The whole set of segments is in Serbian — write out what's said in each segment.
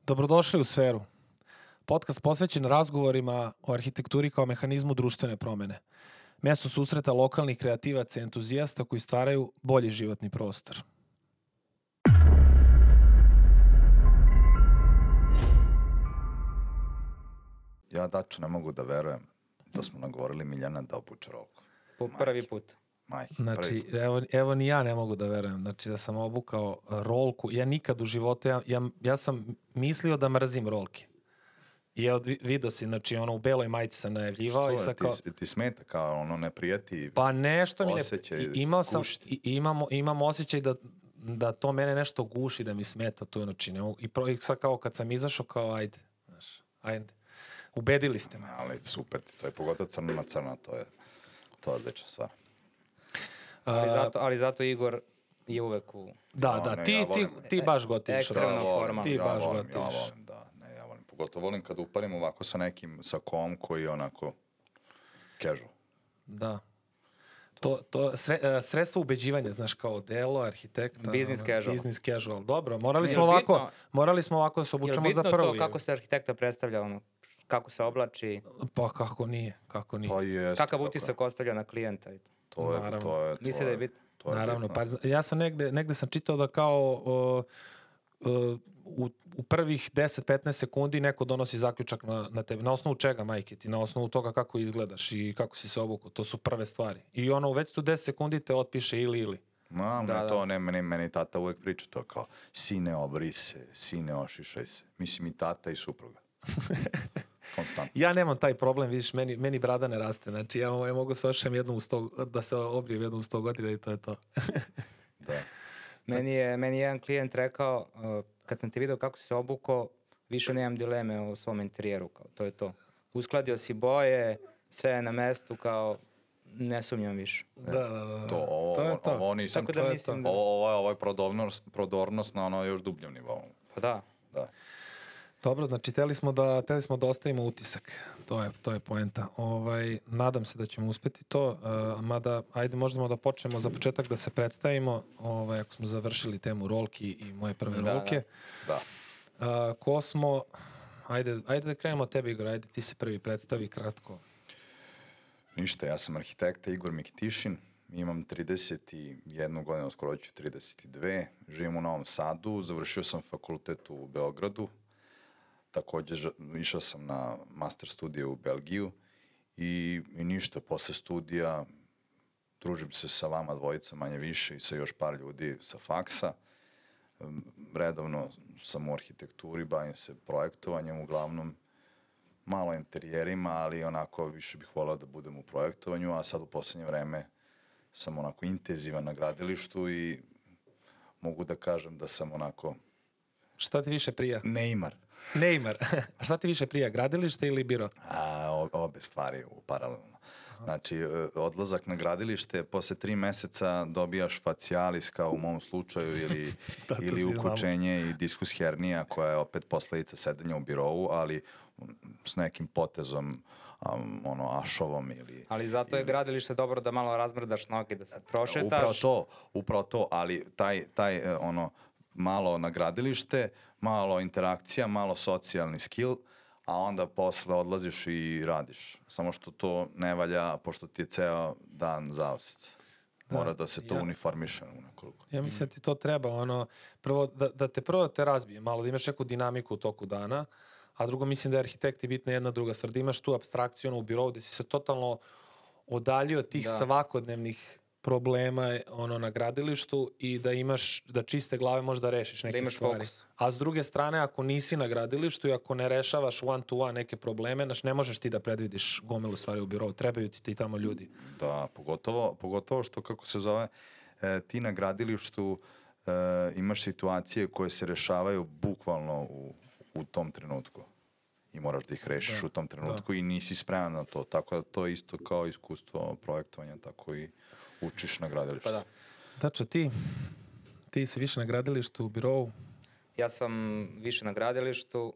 Dobrodošli u Sferu. Podcast posvećen razgovorima o arhitekturi kao mehanizmu društvene promene. Mjesto susreta lokalnih kreativaca i entuzijasta koji stvaraju bolji životni prostor. Ja, Dačo, ne mogu da verujem da smo nagovorili Miljana da obuče rolku. Po prvi put. Majke, Znači, evo ni ja ne mogu da verujem. Znači, da sam obukao rolku. Ja nikad u životu, ja sam mislio da mrzim rolke. I evo, vidio si, znači, ono, u beloj majici sam najavljivao. Što je, ti smeta kao ono ne prijeti pa nešto mi ne... osjećaj Imam osjećaj da to mene nešto guši, da mi smeta to, znači, i sad kao kad sam izašao, kao ajde. Ubedili ste me. Ali super, to je pogotovo crno na crno, to je odlična stvar. Ali zato Igor je uvek u... Da, ti baš gotiviš. Ekstremna forma. Ti baš gotiviš. Ja volim, pogotovo volim kad uparim ovako sa nekim sakom koji je onako casual. Da. To sredstvo ubeđivanja, znaš, kao delo, arhitekta. Business casual. Dobro, morali smo ovako da se obučemo za prvu. Je bitno to kako se arhitekta predstavlja, ono, kako se oblači? Pa kako nije. Pa jest, kakav utisak ostavlja na klijenta? Misli da je bitno. Naravno, pa ja sam negde sam čitao da kao u prvih 10-15 sekundi neko donosi zaključak na tebe. Na osnovu čega, majke ti? Na osnovu toga kako izgledaš i kako si se obukao. To su prve stvari. I ono, već tu 10 sekundi te otpiše ili. Meni tata uvek priča to kao sine obri se, sine ošišaj se. Mislim i tata i supruga. Konstantno. Ja nemam taj problem, vidiš, meni brada ne raste. Znači, ja mogu se ošišam da se obrijem jednom u 100 godina i to je to. Da. Meni je jedan klijent rekao, kad sam te vidio kako si se obukao, više nemam dileme o svom interijeru, kao to je to. Uskladio si boje, sve je na mestu, kao ne sumnjam više. To je to. Ovo nisam, tako da mislim da... Ovo je prodornost na ono još dubljom nivou. Pa da. Dobro, znači, teli smo da ostavimo utisak. To je poenta. Nadam se da ćemo uspeti to, mada, ajde, možemo da počnemo za početak da se predstavimo, ako smo završili temu rolki i moje prve rolke. Da. Ko smo... Ajde da krenemo od tebe, Igor, ajde ti se prvi predstavi kratko. Ništa, ja sam arhitekta Igor Mikitišin, imam 31 godinu, skoro ću 32, živim u Novom Sadu, završio sam fakultet u Beogradu, također išao sam na master studije u Belgiju i ništa, posle studija družim se sa vama dvojicom manje više i sa još par ljudi sa faksa. Redovno sam u arhitekturi, bavim se projektovanjem uglavnom, malo interijerima, ali onako više bih volao da budem u projektovanju, a sad u poslednje vreme sam onako intenzivan na gradilištu i mogu da kažem da sam onako... Šta ti više prija? Neymar. A šta ti više prija, gradilište ili biro? Obe stvari paralelno. Znači, odlazak na gradilište, posle 3 meseca dobijaš facialis, kao u mom slučaju, ili ukučenje i diskus hernija, koja je opet posledica sedenja u birovu, ali s nekim potezom, ašovom ili... Ali zato je gradilište dobro da malo razmrdaš noge, da se prošetaš. Upravo to, ali taj malo na gradilište, malo interakcija, malo socijalni skill, a onda posle odlaziš i radiš. Samo što to ne valja, pošto ti je ceo dan zauzet. Mora da se to uniformiše u nekoliko. Ja mislim da ti to treba, prvo da te razbije malo, da imaš neku dinamiku u toku dana, a drugo mislim da je arhitekti bitna jedna druga stvar, da imaš tu apstrakciju u birovu, da si se totalno odaljio od tih svakodnevnih problema na gradilištu i da čiste glave možeš da rešiš neke stvari. Fokus. A s druge strane, ako nisi na gradilištu i ako ne rešavaš one to one neke probleme, ne možeš ti da predvidiš gomilu stvari u birovu. Trebaju ti tamo ljudi. Da, pogotovo što, kako se zove, ti na gradilištu imaš situacije koje se rešavaju bukvalno u tom trenutku. I moraš da ih rešiš u tom trenutku i nisi spreman na to. Tako da to je isto kao iskustvo projektovanja, tako i učiš na gradilištu. Pa da. Dačo, ti si više na gradilištu u birovu? Ja sam više na gradilištu.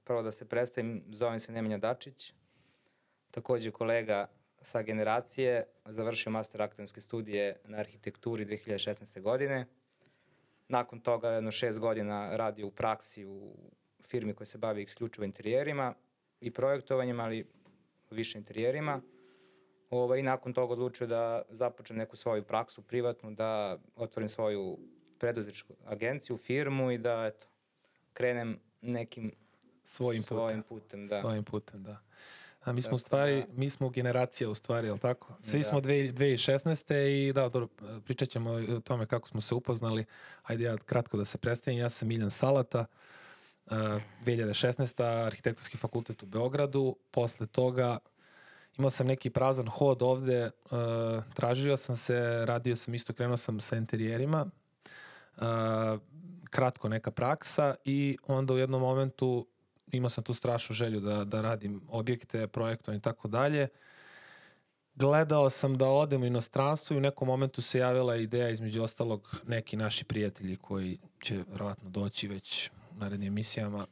Prvo da se predstavim, zovem se Nemanja Dačić. Takođe kolega sa generacije, završio master akademske studije na arhitekturi 2016. godine. Nakon toga 6 godina radio u praksi u firmi koja se bavi isključivo interijerima i projektovanjem, ali više interijerima. I nakon toga odlučio da započnem neku svoju praksu privatnu, da otvorim svoju preduzetničku agenciju, firmu i da krenem nekim svojim putem. Da. Svojim putem, da. A mi smo u stvari, mi smo generacija u stvari, je li tako? Svi smo 2016. i da, dobro, pričat ćemo o tome kako smo se upoznali. Ajde ja kratko da se predstavim. Ja sam Miljan Salata, 2016. Arhitektonski fakultet u Beogradu. Posle toga imao sam neki prazan hod ovde, tražio sam se, radio sam isto, krenuo sam sa interijerima, kratko neka praksa i onda u jednom momentu imao sam tu strašnu želju da radim objekte, projektovanje i tako dalje. Gledao sam da odem u inostranstvo i u nekom momentu se javila ideja, između ostalog neki naši prijatelji koji će verovatno doći već u narednim emisijama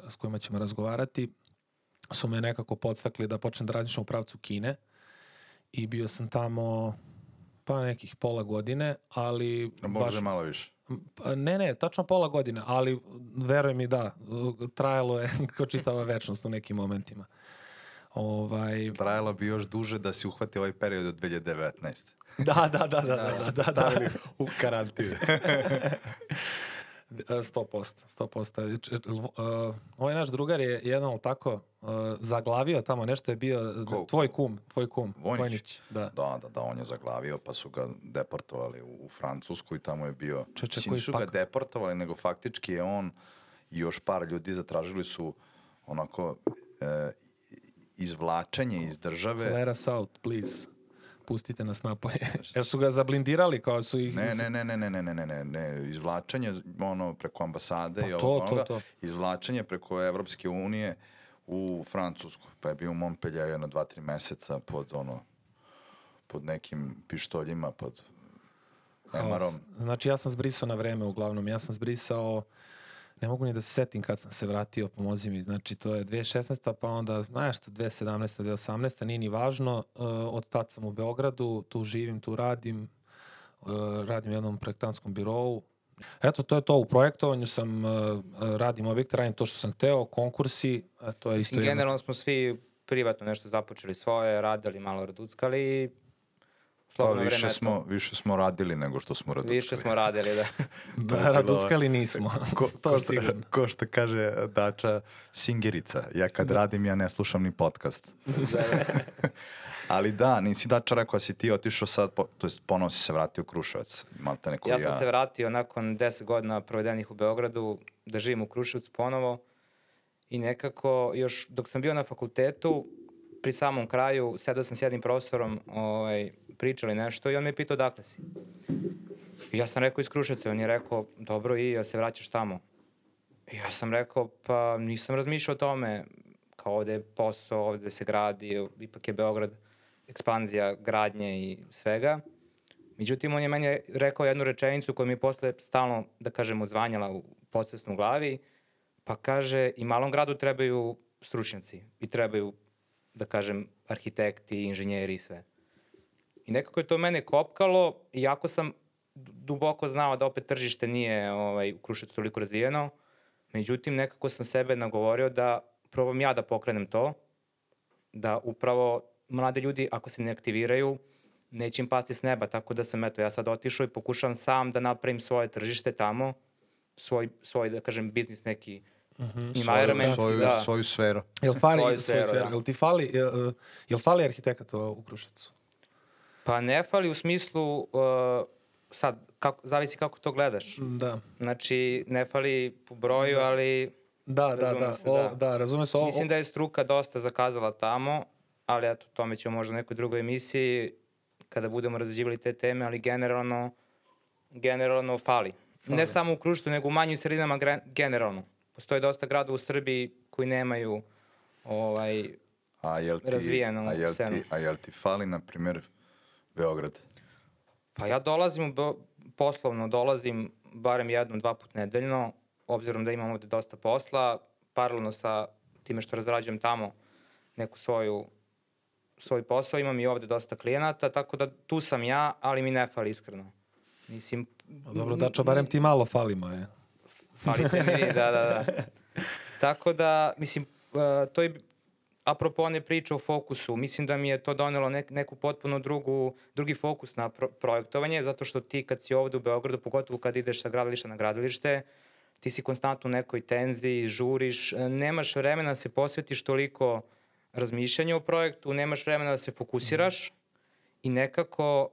s kojima ćemo razgovarati, su me nekako podstakli da počnem da razmišljam u pravcu Kine i bio sam tamo pa nekih pola godine, ali... Možda malo više. Ne, tačno pola godine, ali veruj mi da, trajalo je kao čitava večnost u nekim momentima. Trajalo bi još duže da si uhvati ovaj period od 2019. Da. Stavili u karantinu. 100%. Ovaj naš drugar je jedan tako zaglavio tamo, nešto je bio tvoj kum Vojnić. Da, on je zaglavio, pa su ga deportovali u Francusku i tamo je bio... Nisu ga deportovali, nego faktički je on i još par ljudi zatražili su onako izvlačenje iz države. Let us out, please. Pustite nas napoje. Jer su ga zablindirali kao su ih... Ne, izvlačenje preko ambasade i to. Izvlačenje preko Evropske unije u Francusku. Pa je bio u Montpellieru jedno 2-3 meseca pod nekim pištoljima, pod emarom. Znači ja sam zbrisao na vreme uglavnom. Ja sam zbrisao, ne mogu ni da se setim kad sam se vratio, pomozi mi. Znači to je 2016. pa onda, nešto, 2017. 2018. Nije ni važno. Od tad sam u Beogradu, tu živim, tu radim. Radim u jednom projektantskom birovu. Eto, to je to. U projektovanju sam, radim objekte, radim to što sam hteo, konkursi. To je isto generalno smo svi privatno nešto započeli svoje, radili, malo raduckali. Više smo radili nego što smo raduckali. Više smo radili, da. Da, raduckali nismo. To sigurno. Ko što kaže Dača, singerica. Ja kad radim, ja ne slušam ni podcast. Ali da, nisi Dača rekao da si ti otišao sad, to jest ponovo si se vratio u Kruševac. Ja sam se vratio nakon 10 godina provedenih u Beogradu da živim u Kruševcu ponovo i nekako još dok sam bio na fakultetu, pri samom kraju, sedao sam s jednim profesorom, pričali nešto i on me je pitao dakle si. I ja sam rekao iz Kruševca, on je rekao dobro i ja se vraćaš tamo. I ja sam rekao pa nisam razmišljao o tome, kao ovde je posao, ovde se gradi, ipak je Beograd ekspanzija gradnje i svega. Međutim, on je meni rekao jednu rečenicu koju mi je posle stalno, da kažem, odzvanjala u podsvesnu glavi, pa kaže i malom gradu trebaju stručnjaci i trebaju, da kažem, arhitekti, inženjeri i sve. I nekako je to mene kopkalo, iako sam duboko znao da opet tržište nije u Kruševcu toliko razvijeno, međutim nekako sam sebe nagovorio da probam ja da pokrenem to, da upravo mlade ljudi ako se ne aktiviraju, neće im pasti s neba, tako da sam ja sad otišao i pokušavam sam da napravim svoje tržište tamo, svoj da kažem, biznis neki, svoju sferu. Jel fali arhitekata u Kruševcu? Pa ne fali u smislu, sad, zavisi kako to gledaš. Da. Znači, ne fali po broju, ali... Da, razume se ovo. Mislim da je struka dosta zakazala tamo, ali eto, tome ćemo možda u nekoj drugoj emisiji, kada budemo razđivali te teme, ali generalno fali. Ne samo u Kruševcu, nego u manjim sredinama generalno. Postoji dosta grada u Srbiji koji nemaju razvijenu scenu. A jel ti fali, na primjer, Beograd? Pa ja poslovno dolazim barem 1-2 put nedeljno, obzirom da imam ovde dosta posla, paralelno sa time što razrađujem tamo neku svoj posao, imam i ovde dosta klijenata, tako da tu sam ja, ali mi ne fali iskreno. Mislim... Dobro, Dačo, barem ti malo falimo, je. Falite mi vi, da. Tako da, mislim, to je apropo one priče o fokusu, mislim da mi je to donelo neku potpuno drugi fokus na projektovanje, zato što ti kad si ovde u Beogradu, pogotovo kad ideš sa gradilišta na gradilište, ti si konstantno u nekoj tenziji, žuriš, nemaš vremena da se posvetiš toliko razmišljanju o projektu, nemaš vremena da se fokusiraš i nekako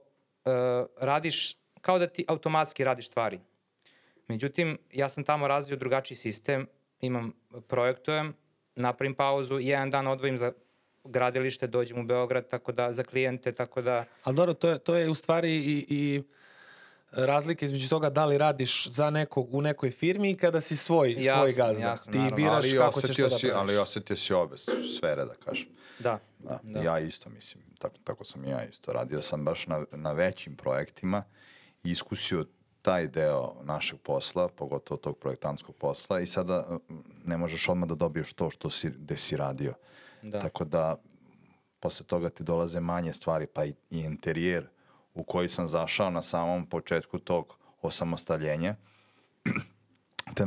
radiš, kao da ti automatski radiš stvari. Međutim, ja sam tamo razvio drugačiji sistem, projektujem, napravim pauzu, jedan dan odvojim za gradilište, dođem u Beograd, tako da, za klijente, tako da... Ali dobro, to je u stvari i razlika između toga da li radiš za nekog u nekoj firmi i kada si svoj gazda. Jasno, ti naravno. biraš kako ćeš to da praviš. Ali osetio si obe sfere, da kažem. Da. Ja isto, mislim, tako sam i ja isto. Radio sam baš na većim projektima i iskusio taj deo našeg posla, pogotovo tog projektantskog posla i sada ne možeš odmah da dobiješ to gde si radio. Da. Tako da posle toga ti dolaze manje stvari, pa i interijer u koji sam zašao na samom početku tog osamostaljenja, te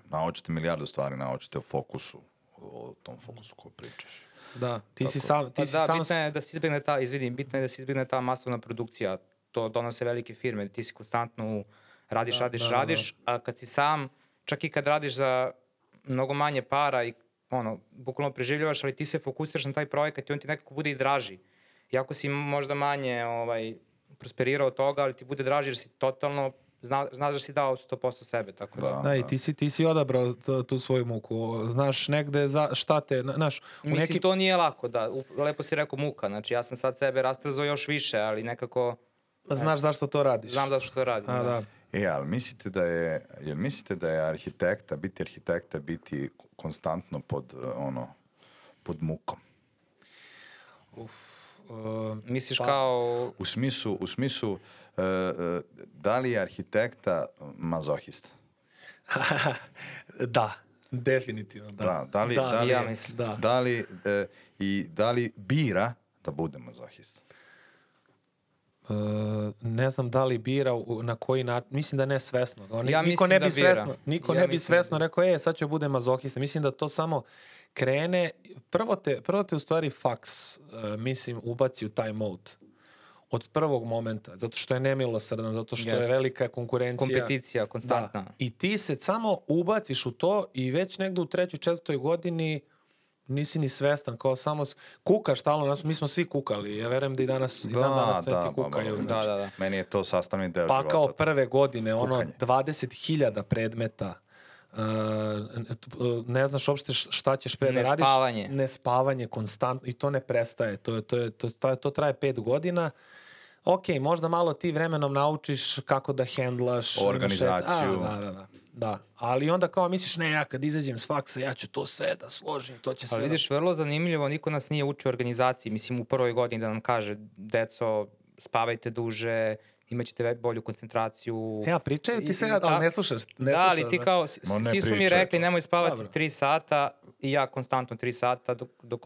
naučite milijardu stvari, naučite o fokusu, o tom fokusu koji pričaš. Da, ti si sam... bitno je da se izbjegne ta masovna produkcija, to donose velike firme, ti si konstantno radiš, a kad si sam, čak i kad radiš za mnogo manje para i bukvalno preživljavaš, ali ti se fokusiraš na taj projekat i on ti nekako bude i draži. Iako si možda manje prosperirao od toga, ali ti bude draži jer si totalno, znaš da si dao 100% sebe, tako da. Da, i ti si odabrao tu svoju muku. Znaš negde šta te, znaš... Mislim, to nije lako, da. Lepo si rekao muka, znači ja sam sad sebe rastrzao još više, ali nekako... Znaš zašto to radiš? Znam zašto to radim, da. Ali mislite da je biti arhitekta, biti konstantno pod mukom? Misliš kao... U smislu, da li je arhitekta mazohista? Da, definitivno, da. Ja mislim. Da li bira da bude mazohista? Ne znam da li bira na koji način, mislim da ne svesno. Niko ne bi svesno rekao, sad ću bude mazohista. Mislim da to samo krene, prvo te u stvari faks, mislim, ubaci u taj mode. Od prvog momenta, zato što je nemilosrdan, zato što je velika konkurencija. Kompeticija, konstantna. Da. I ti se samo ubaciš u to i već negde u 3. 4. godini nisi ni svestan, kao samo kukaš stalno, mi smo svi kukali, ja verujem da i danas studenti kukaju. Da. Meni je to sastavni deo života. Pa kao prve godine, 20.000 predmeta, ne znaš uopšte šta ćeš pre da radiš. Nespavanje konstantno i to ne prestaje, to traje 5 godina. Ok, možda malo ti vremenom naučiš kako da hendlaš organizaciju. Da, ali onda kao misliš, ne, ja kad izađem s faksa, ja ću to sve da složim, to će sve... Ali vidiš, vrlo zanimljivo, niko nas nije učio organizaciji, mislim u prvoj godini da nam kaže, deco, spavajte duže, imaćete bolju koncentraciju. Ja, pričaju ti sve, ali ne slušaš. Da, ali ti kao, svi su mi rekli, nemoj spavati 3 sata i ja konstantno 3 sata dok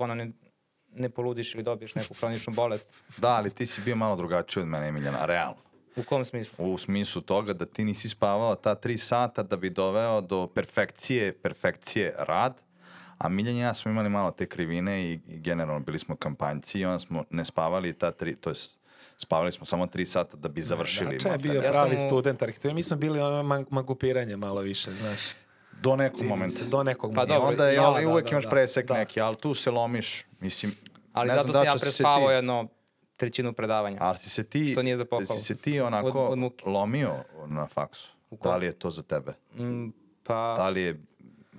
ne poludiš ili dobiješ neku hroničnu bolest. Da, ali ti si bio malo drugačiji od mene, Emiljana, realno. U kom smislu? U smislu toga da ti nisi spavao ta 3 sata da bi doveo do perfekcije rad, a Miljan i ja smo imali malo te krivine i generalno bili smo kampanjci i onda smo ne spavali spavali smo samo 3 sata da bi završili. Da, je bio pravi student arhitekture, mi smo bili magupiranje malo više, znaš. Do nekog momenta. Pa dobro, onda uvek imaš presek neki, ali tu se lomiš, mislim... Ali zato sam ja prespavao jedno 1/3 predavanja. Ali si se ti onako lomio na faksu? Da li je to za tebe? Da li je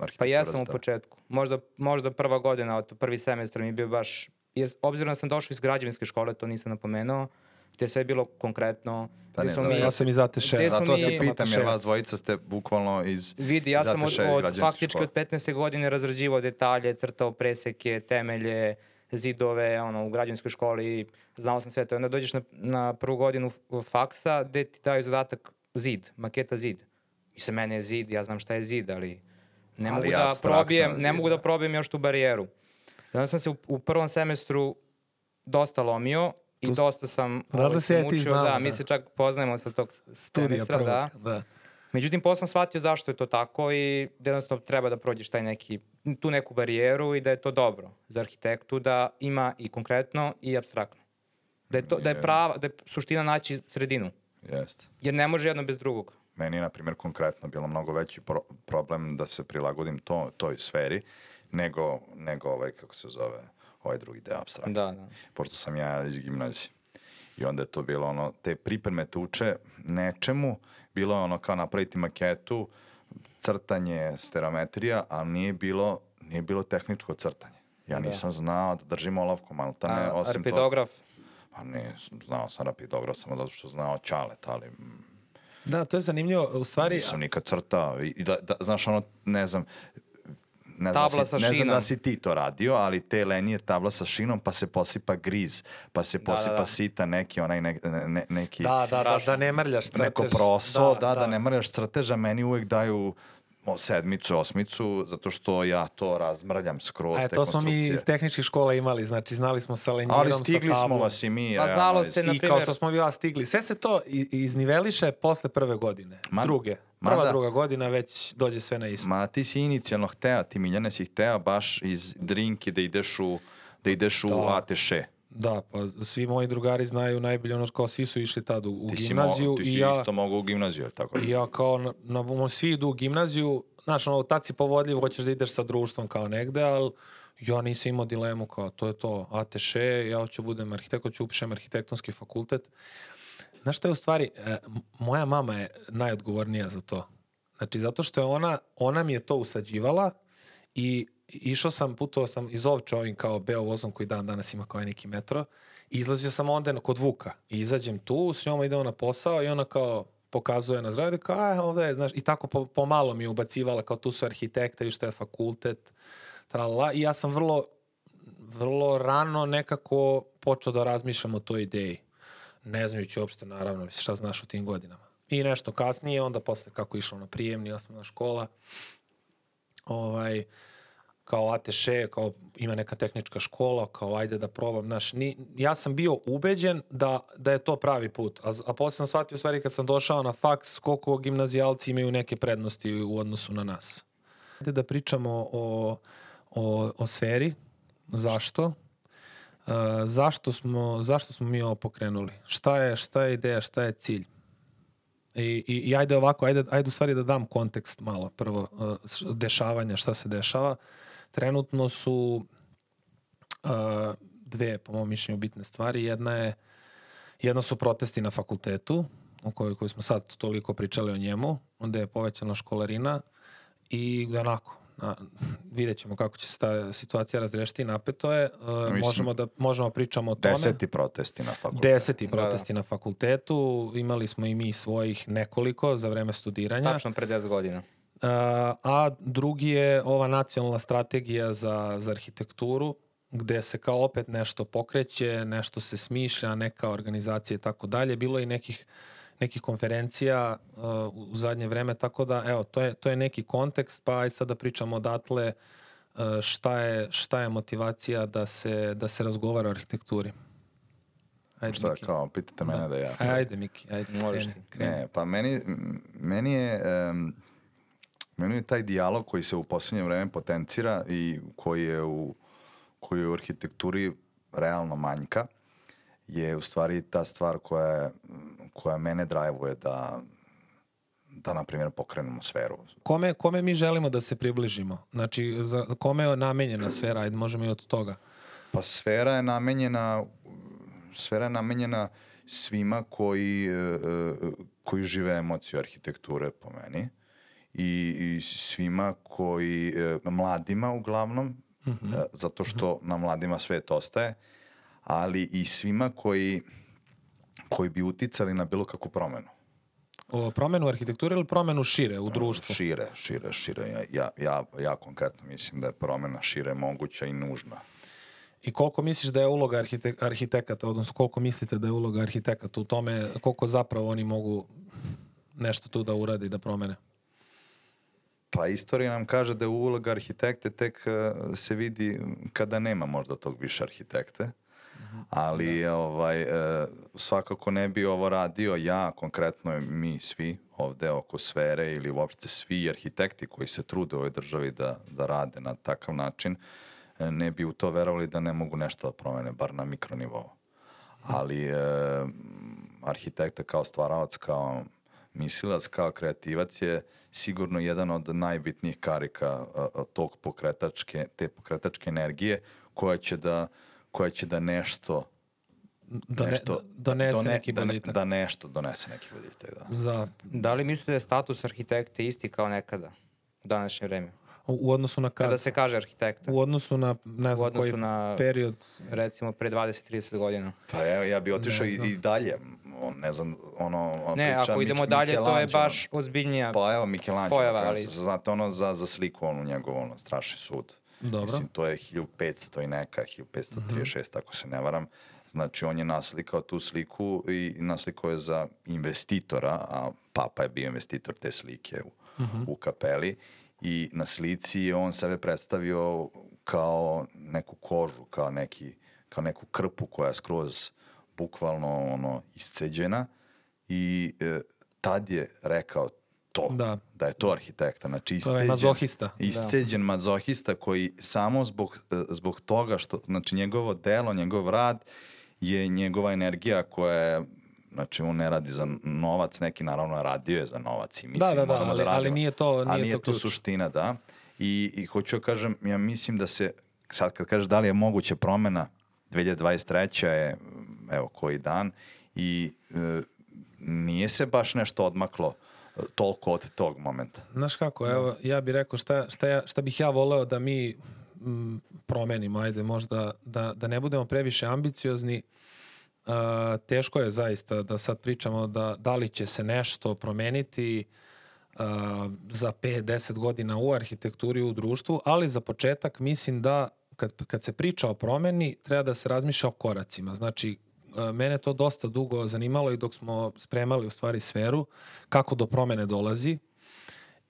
arhitektura za tebe? Pa jesam u početku. Možda prva godina, od prvi semestar mi je bio baš... Obzirom da sam došao iz građevinske škole, to nisam napomenuo, gde sve je bilo konkretno. Ja sam iz AT6. Zato se pitam, jer vas dvojica ste bukvalno iz Vidi, ja sam faktički od 15. godine razrađivao detalje, crtao preseke, temelje, zidove, u građevinskoj školi, znao sam sve to. Onda dođeš na prvu godinu faksa gde ti daju zadatak maketa zid. I sa mene je zid, ja znam šta je zid, ali ne mogu da probijem još tu barijeru. Onda sam se u prvom semestru dosta lomio dosta sam učio, mi se čak poznajemo sa tog semestra, da. Međutim, posle sam shvatio zašto je to tako i da jednostavno treba da prođeš tu neku barijeru i da je to dobro za arhitektu da ima i konkretno i apstraktno. Da je suština naći sredinu. Jeste. Jer ne može jedno bez drugog. Meni je, na primjer, konkretno bilo mnogo veći problem da se prilagodim toj sferi nego kako se zove, ovaj drugi deo apstraktno. Da. Pošto sam ja iz gimnazije. I onda je to bilo te pripreme te uče nečemu, bilo je kao napraviti maketu, crtanje, stereometrija, ali nije bilo tehničko crtanje. Ja nisam znao da držim olovku, maltene, osim rapidograf? Pa ne, znao sam rapidograf, samo zato što znao ćalet, ali... Da, to je zanimljivo, u stvari... Nisam nikad crtao i znaš, ne znam da si ti to radio, ali te lenije tabla sa šinom, pa se posipa griz, pa se posipa sita neki neki... Da ne mrljaš crtež. Neko proso, da ne mrljaš crtež, a meni uvek daju 7, 8, zato što ja to razmrljam skroz te konstrukcije. To smo mi iz tehničkih škola imali, znači znali smo sa lenjirom, ali stigli smo vas i mi. Pa znalo se, na primjer... I kao što smo vi vas stigli. Sve se to izniveliše posle prve godine. Druga godina već dođe sve na isto. Ma ti si inicijalno hteo, ti Miljane si hteo baš iz Drinke da ideš u ATŠ. Da, pa svi moji drugari znaju najbolje kao svi su išli tad u gimnaziju. Ti si isto mogao u gimnaziju, tako? I ja kao, svi idu u gimnaziju, znaš, tad si povodljiv, hoćeš da ideš sa društvom kao negde, ali ja nisam imao dilemu kao, to je to, ATŠ, ja hoću budem arhitekt, hoću upišem arhitektonski fakultet. Znaš šta je u stvari, moja mama je najodgovornija za to. Znači, zato što je ona mi je to usađivala i putovao sam iz Ovče ovim kao beo vozom koji danas ima kao neki metro. I izlazio sam onda kod Vuka. I izađem tu, s njom idemo na posao i ona kao pokazuje na zgradi kao ovdje je, znaš, i tako pomalo mi je ubacivala kao tu su arhitekte, viš što je fakultet, tralala. I ja sam vrlo rano nekako počeo da razmišljam o toj ideji. Ne znajući uopšte, naravno, šta znaš u tim godinama. I nešto kasnije, onda posle kako išlo na prijemni, osnovna škola, kao ATŠ, kao ima neka tehnička škola, kao ajde da probam, znaš, ja sam bio ubeđen da je to pravi put, a posle sam shvatio u stvari kad sam došao na faks koliko gimnazijalci imaju neke prednosti u odnosu na nas. Ajde da pričamo o sferi, zašto? Zašto smo mi ovo pokrenuli? Šta je ideja, šta je cilj? I ajde ovako, ajde u stvari da dam kontekst malo. Prvo, dešavanja, šta se dešava. Trenutno su dve, po mom mišljenju, bitne stvari. Jedna su protesti na fakultetu, o kojoj smo sad toliko pričali o njemu. Onda je povećana školarina i onako, vidjet ćemo kako će se ta situacija razrešiti, napeto je. Možemo pričamo o tome. 10 protesti na fakultetu. 10 protesti na fakultetu. Imali smo i mi svojih nekoliko za vreme studiranja. Tačno pre 10 godina. A drugi je ova nacionalna strategija za arhitekturu, gde se kao opet nešto pokreće, nešto se smišlja, neka organizacija i tako dalje. Bilo je i nekih konferencija u zadnje vreme, tako da, evo, to je neki kontekst, pa ajde sad da pričamo odatle šta je motivacija da se razgovara o arhitekturi. Ajde, šta, Miki. Kao, pitate mene da ja... Ajde, Miki, ajde, kreni. Ne, pa meni je taj dijalog koji se u posljednje vreme potencira i koji je u arhitekturi realno manjka, je u stvari ta stvar koja mene drajvuje da na primjer, pokrenemo sferu. Kome mi želimo da se približimo? Znači, kome je namenjena sfera? Ajde, možemo i od toga. Pa sfera je namenjena svima koji žive emociju arhitekture, po meni. I svima mladima uglavnom, zato što na mladima svet ostaje, ali i svima koji bi uticali na bilo kakvu promenu. O promenu arhitekture ili promenu šire u društvu? Šire. Ja konkretno mislim da je promena šire moguća i nužna. I koliko misliš da je uloga arhitekata, odnosno koliko mislite da je uloga arhitekata u tome, koliko zapravo oni mogu nešto tu da uradi, da promene? Pa istorija nam kaže da je uloga arhitekte tek se vidi kada nema možda tog više arhitekte. Ali svakako ne bi ovo radio ja, konkretno mi svi ovde oko sfere ili uopšte svi arhitekti koji se trude u ovoj državi da rade na takav način, ne bi u to verovali da ne mogu nešto da promene, bar na mikronivou. Ali arhitekta kao stvaralac, kao mislilac, kao kreativac je sigurno jedan od najbitnijih karika tog te pokretačke energije koja će da nešto donese neki boljitak. Da nešto donese neki boljitak, da. Da li mislite da je status arhitekte isti kao nekada u današnje vreme? U odnosu na kada se kaže arhitekta? U odnosu na, ne znam koji period. Recimo pre 20-30 godina. Pa evo, ja bi otišao i dalje. Ne znam, ne, ako idemo dalje, to je baš ozbiljnija pojava. Pa evo, Michelangelo, ali... znate za sliku, njegov strašni sud. Dobro. Mislim, to je 1500 i neka, 1536, ako se ne varam. Znači, on je naslikao tu sliku i naslikao je za investitora, a papa je bio investitor te slike u kapeli. I na slici je on sebe predstavio kao neku kožu, kao neku krpu koja je skroz bukvalno isceđena i tad je rekao to, da je to arhitekta. Znači isceđen mazohista koji samo zbog toga što, znači njegovo delo, njegov rad je njegova energija koja je, znači on ne radi za novac, neki naravno radio je za novac i mislim moramo da radimo. Ali nije to suština, da. I hoću da kažem, ja mislim da se, sad kad kažeš da li je moguća promena, 2023. je, evo, koji dan i nije se baš nešto odmaklo toliko od tog momenta. Znaš kako, evo, ja bih rekao šta bih ja voleo da mi promenimo, ajde možda da ne budemo previše ambiciozni. Teško je zaista da sad pričamo da li će se nešto promeniti za 5-10 godina u arhitekturi, u društvu, ali za početak mislim da kad se priča o promeni treba da se razmišlja o koracima. Znači, mene to dosta dugo zanimalo i dok smo spremali u stvari sferu, kako do promene dolazi.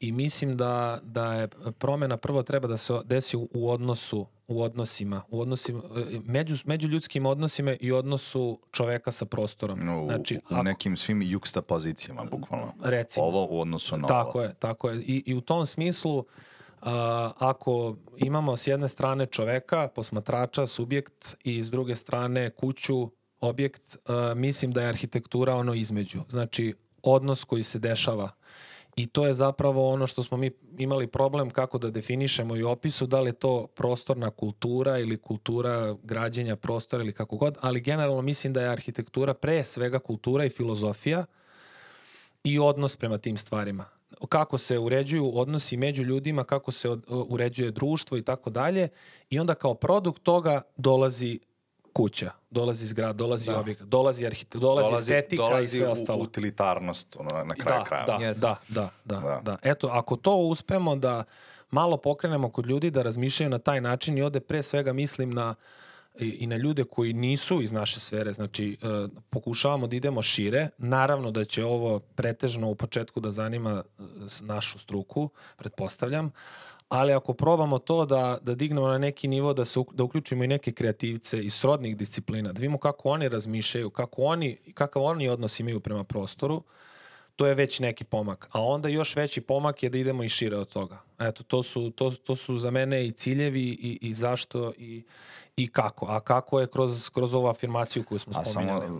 I mislim da je promena prvo treba da se desi u odnosima, među ljudskim odnosima i odnosu čoveka sa prostorom. Znači, u nekim svim juksta pozicijama, bukvalno. Recimo. Ovo u odnosu na ovo. Tako je. I u tom smislu, ako imamo s jedne strane čoveka, posmatrača, subjekt i s druge strane kuću, objekt, mislim da je arhitektura ono između. Znači, odnos koji se dešava. I to je zapravo ono što smo mi imali problem kako da definišemo i opisu, da li je to prostorna kultura ili kultura građenja prostora ili kako god, ali generalno mislim da je arhitektura pre svega kultura i filozofija i odnos prema tim stvarima. Kako se uređuju odnosi među ljudima, kako se uređuje društvo i tako dalje. I onda kao produkt toga dolazi kuća, dolazi zgrad, dolazi objekt, dolazi estetika i sve ostalo. Dolazi utilitarnost na kraju krajeva. Da. Eto, ako to uspemo da malo pokrenemo kod ljudi da razmišljaju na taj način i ovde pre svega mislim i na ljude koji nisu iz naše sfere, znači pokušavamo da idemo šire, naravno da će ovo pretežno u početku da zanima našu struku, pretpostavljam, ali ako probamo to da dignemo na neki nivo, da uključimo i neke kreativce iz srodnih disciplina, da vidimo kako oni razmišljaju, kakav oni odnos imaju prema prostoru, to je već neki pomak. A onda još veći pomak je da idemo i šire od toga. Eto, to su za mene i ciljevi i zašto i kako. A kako je kroz ovu afirmaciju koju smo spominjali. A samo,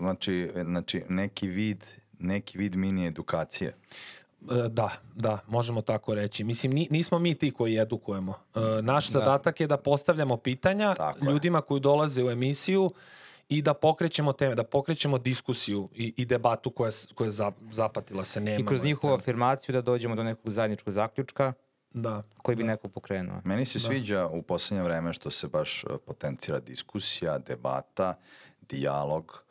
znači neki vid mini edukacije. Da, možemo tako reći. Mislim, nismo mi ti koji edukujemo. Naš zadatak je da postavljamo pitanja ljudima koji dolaze u emisiju i da pokrećemo teme, da pokrećemo diskusiju i debatu koja je zapatila se. Nema. I kroz njihovu afirmaciju da dođemo do nekog zajedničkog zaključka koji bi neko pokrenuo. Meni se sviđa u poslednje vreme što se baš potencira diskusija, debata, dijalog.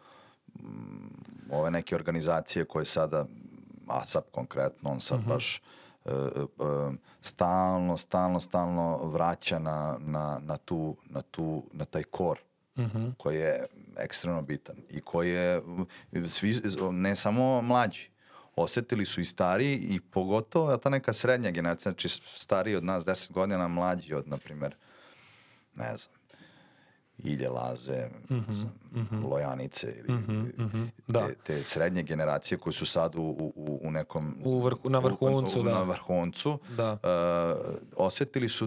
Ove neke organizacije koje sada, ASAP konkretno, on sad baš stalno vraća na taj kor koji je ekstremno bitan i koji je svi, ne samo mlađi, osetili su i stariji i pogotovo ta neka srednja generacija, znači stariji od nas 10 godina, mlađi od, na primjer, ne znam, Ilje Laze, Lojanice ili Da. te srednje generacije koji su sad u nekom... Na vrhuncu, da. Na vrhuncu. Da. Osjetili su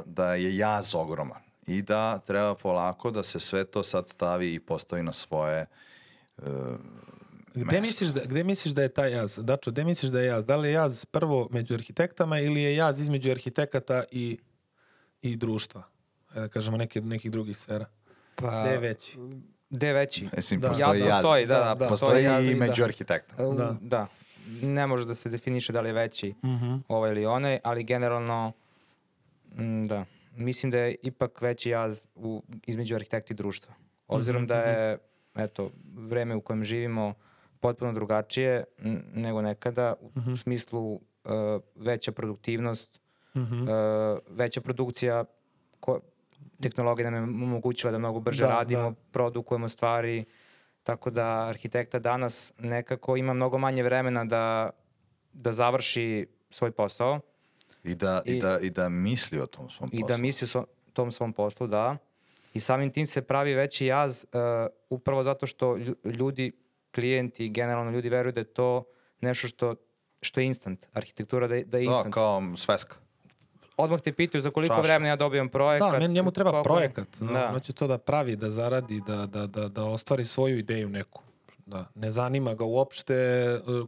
da je jaz ogroman i da treba polako da se sve to sad stavi i postavi na svoje Gde misliš da je taj jaz? Dačo, gde misliš da je jaz? Da li je jaz prvo među arhitektama ili je jaz između arhitekata i društva? Da kažemo nekih drugih sfera. Pa, Gde je veći? Gde je veći? Mislim, Da. postoji Jasno jaz. stoji, da. Postoji jaz, i da. među arhitekta. Da. Ne može da se definiše da li je veći ovaj ili onaj, ali generalno da. Mislim da je ipak veći jaz između arhitekta i društva. Obzirom da je vreme u kojem živimo potpuno drugačije nego nekada, u smislu veća produktivnost, veća produkcija, tehnologija nam je omogućila da mnogo brže radimo, produkujemo stvari, tako da arhitekta danas nekako ima mnogo manje vremena da završi svoj posao. I da misli o tom svom poslu. I da misli o tom svom poslu, da. I samim tim se pravi veći jaz upravo zato što ljudi, klijenti, generalno ljudi veruju da je to nešto što je instant. Arhitektura da je instant. Da, kao sveska. Odmah te pitaju za koliko vremena ja dobijam projekat. Da, njemu treba projekat. Da. Hoće to da pravi, da zaradi, da ostvari svoju ideju neku. Da. Ne zanima ga uopšte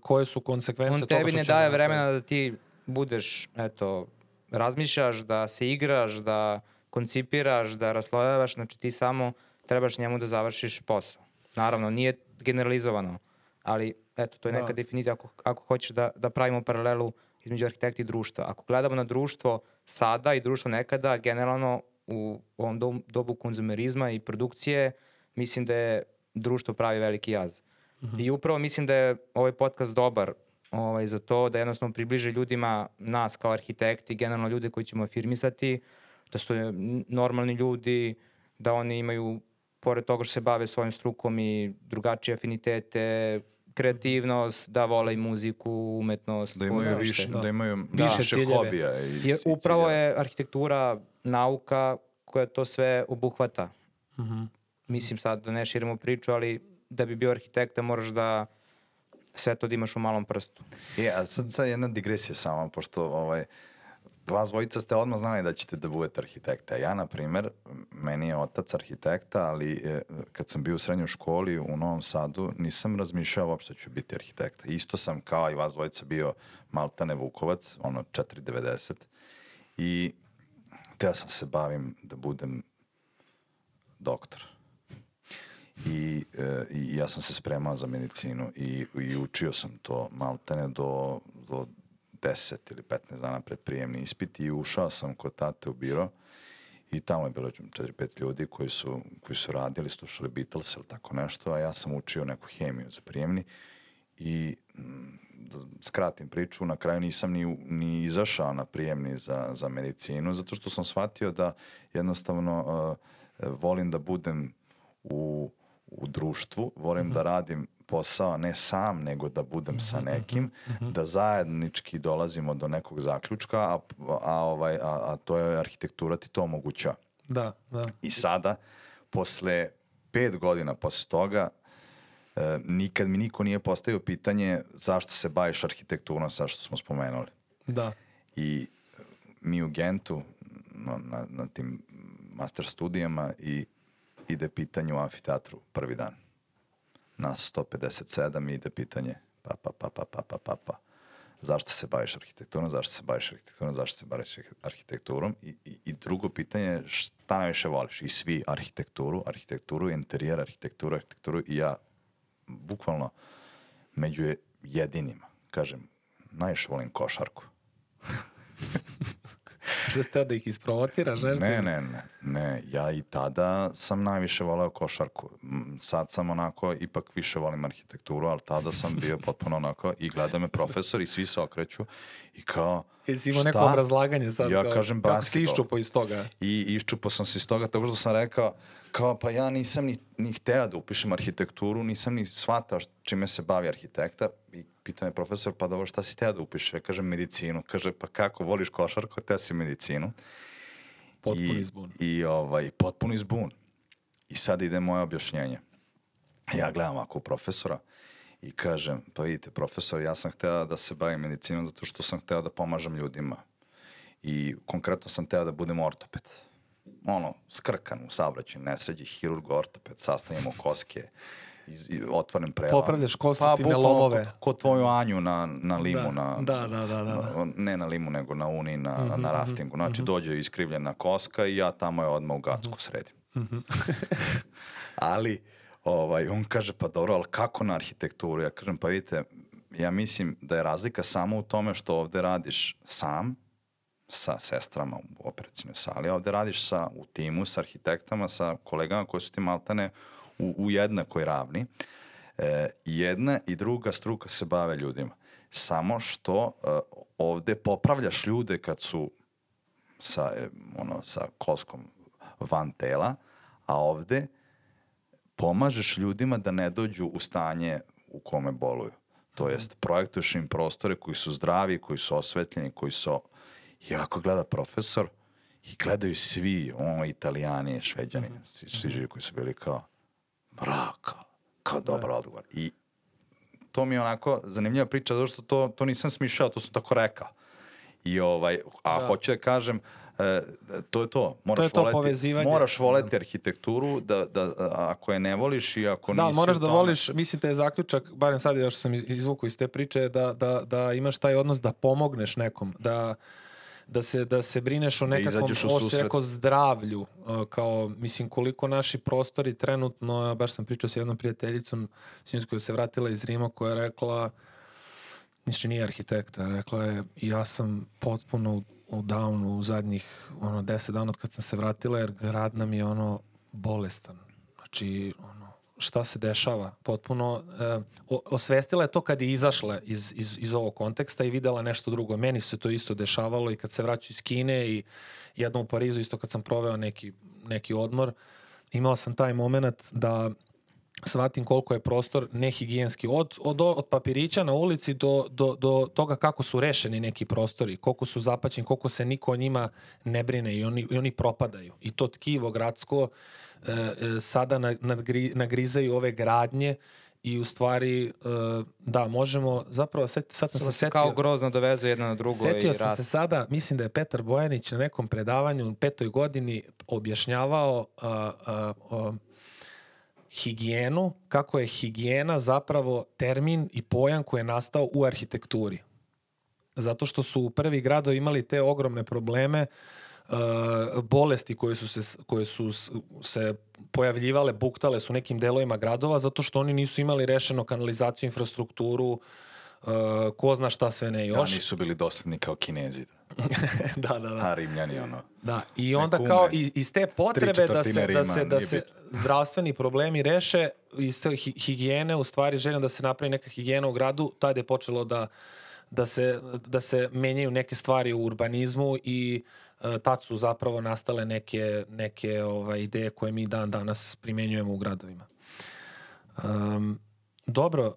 koje su konsekvence toga što će... On tebi ne daje vremena da ti budeš, razmišljaš, da se igraš, da koncipiraš, da raslojavaš, znači ti samo trebaš njemu da završiš posao. Naravno, nije generalizovano, ali to je neka definicija ako hoćeš da pravimo paralelu između arhitekta i društva. Ako gledamo na društvo sada i društvo nekada, generalno u ovom dobu konzumerizma i produkcije, mislim da je društvo pravi veliki jaz. I upravo mislim da je ovaj podcast dobar za to, da jednostavno približe ljudima nas kao arhitekti, generalno ljude koji ćemo afirmisati, da su normalni ljudi, da oni imaju, pored toga što se bave svojim strukom, i drugačije afinitete, kreativnost, da vole i muziku, umetnost. Da imaju više hobija. Upravo je arhitektura nauka koja to sve obuhvata. Mislim sad da ne širimo priču, ali da bi bio arhitekta moraš da sve to da imaš u malom prstu. A sad jedna digresija samo, pošto vas dvojica ste odmah znali da ćete da budete arhitekta. Ja, na primer, meni je otac arhitekta, ali kad sam bio u srednjoj školi u Novom Sadu, nisam razmišljao uopšte ću biti arhitekta. Isto sam kao i vas dvojica bio maltene Vukovac, 4,90. I hteo sam se bavim da budem doktor. I ja sam se spremao za medicinu i učio sam to maltene do 10 ili 15 dana pred prijemni ispit i ušao sam kod tate u biro i tamo je bilo 4-5 ljudi koji su radili, slušali Beatles ili tako nešto, a ja sam učio neku hemiju za prijemni i da skratim priču, na kraju nisam ni izašao na prijemni za medicinu, zato što sam shvatio da jednostavno volim da budem u društvu, volim da radim posao ne sam, nego da budem sa nekim, da zajednički dolazimo do nekog zaključka, a to je arhitektura ti to omogućava. Da. I sada, posle 5 godina posle toga, nikad mi niko nije postavio pitanje zašto se baviš arhitekturom, sa što smo spomenuli. Da. I mi u Gentu, na tim master studijama, i ide pitanje u amfiteatru prvi dan. Nas 157 ide pitanje zašto se baviš arhitekturom, i drugo pitanje je šta najviše voliš. I svi arhitekturu, interijer, arhitekturu i ja bukvalno među jedinima kažem, najviše volim košarku. Što ste da ih isprovociraš? Ne, ja i tada sam najviše voleo košarku. Sad sam onako, ipak više volim arhitekturu, ali tada sam bio potpuno onako i gleda me profesor i svi se okreću i kao, jesi imao neko obrazlaganje sad? Ja kažem basketball. Kako si iščupo iz toga? I iščupo sam se iz toga, tako što sam rekao, kao pa ja nisam ni hteo da upišem arhitekturu, nisam ni shvatao čime se bavi arhitekta. I pita me profesor, pa dobro, šta si hteo da upišeš? Ja kažem medicinu. Kaže, pa kako, voliš košarku, hteo si medicinu. Potpuni zbun. Potpuni zbun. I sad ide moje objašnjenje. Ja gledam ovako profesora i kažem, pa vidite profesor, ja sam hteo da se bavim medicinom zato što sam hteo da pomažem ljudima. I konkretno sam hteo da budem ortoped. Skrkan u saobraćaju, nesređi, hirurg, ortoped, sastavljamo koske, otvoren prelam. Popravljaš konstruktivne lomove. Ko tvoju Anju na limu. Da. Ne na limu, nego na uni, na raftingu. Znači, dođe iskrivljena koska i ja tamo je odmah u Gacku sredim. Ali, on kaže, pa dobro, ali kako na arhitekturu? Ja kažem, pa vidite, ja mislim da je razlika samo u tome što ovde radiš sam, sa sestrama u operacijnoj sali, ovde radiš u timu, sa arhitektama, sa kolegama koji su ti maltene u jednakoj ravni. Jedna i druga struka se bave ljudima. Samo što ovde popravljaš ljude kad su sa koskom van tela, a ovde pomažeš ljudima da ne dođu u stanje u kome boluju. To jest, projektuješ im prostore koji su zdravi, koji su osvetljeni, koji su... I ako gleda profesor, i gledaju svi, Italijani, Šveđani, svi živi koji su bili kao, kao dobar odgovor. I to mi je onako zanimljiva priča, zato što to nisam smišljao, to sam tako rekao. I hoću da kažem, to je to. Moraš voleti arhitekturu, da ako je ne voliš i ako nisi... Da, moraš da voliš, mislim da je zaključak, barem sad još sam izvukao iz te priče, da imaš taj odnos da pomogneš nekom, da se brineš o nekakvom zdravlju, kao, mislim, koliko naši prostori trenutno, baš sam pričao s jednom prijateljicom koja se vratila iz Rima, koja je rekla, ništa nije arhitekta, rekla je, ja sam potpuno u downu u zadnjih 10 dana od kad sam se vratila, jer grad nam je bolestan. Znači, šta se dešava? Potpuno osvestila je to kad je izašla iz ovog konteksta i videla nešto drugo. Meni se to isto dešavalo i kad se vraćaju iz Kine i jednom u Parizu, isto kad sam proveo neki odmor, imao sam taj moment da shvatim koliko je prostor nehigijenski. Od papirića na ulici do toga kako su rešeni neki prostori, koliko su zapaćeni, koliko se niko o njima ne brine i oni propadaju. I to tkivo gradsko sada nagrizaju ove gradnje i u stvari, da, možemo, zapravo, sad sam se setio... Kao grozno doveze jedno na drugo i setio sam se sada, mislim da je Petar Bojanić na nekom predavanju u 5. godini objašnjavao higijenu, kako je higijena zapravo termin i pojam koji je nastao u arhitekturi. Zato što su u prvi gradovi imali te ogromne probleme, bolesti koje su se pojavljivale, buktale su nekim delovima gradova, zato što oni nisu imali rešeno kanalizaciju, infrastrukturu, ko zna šta sve ne još. Da, nisu bili dosledni kao Kinezi. Da. A Rimljani, Da, i onda kao iz te potrebe da se zdravstveni problemi reše, iz te higijene, u stvari željom da se napravi neka higijena u gradu, tad je počelo da se menjaju neke stvari u urbanizmu i tad su zapravo nastale neke ideje koje mi dan danas primenjujemo u gradovima. Dobro,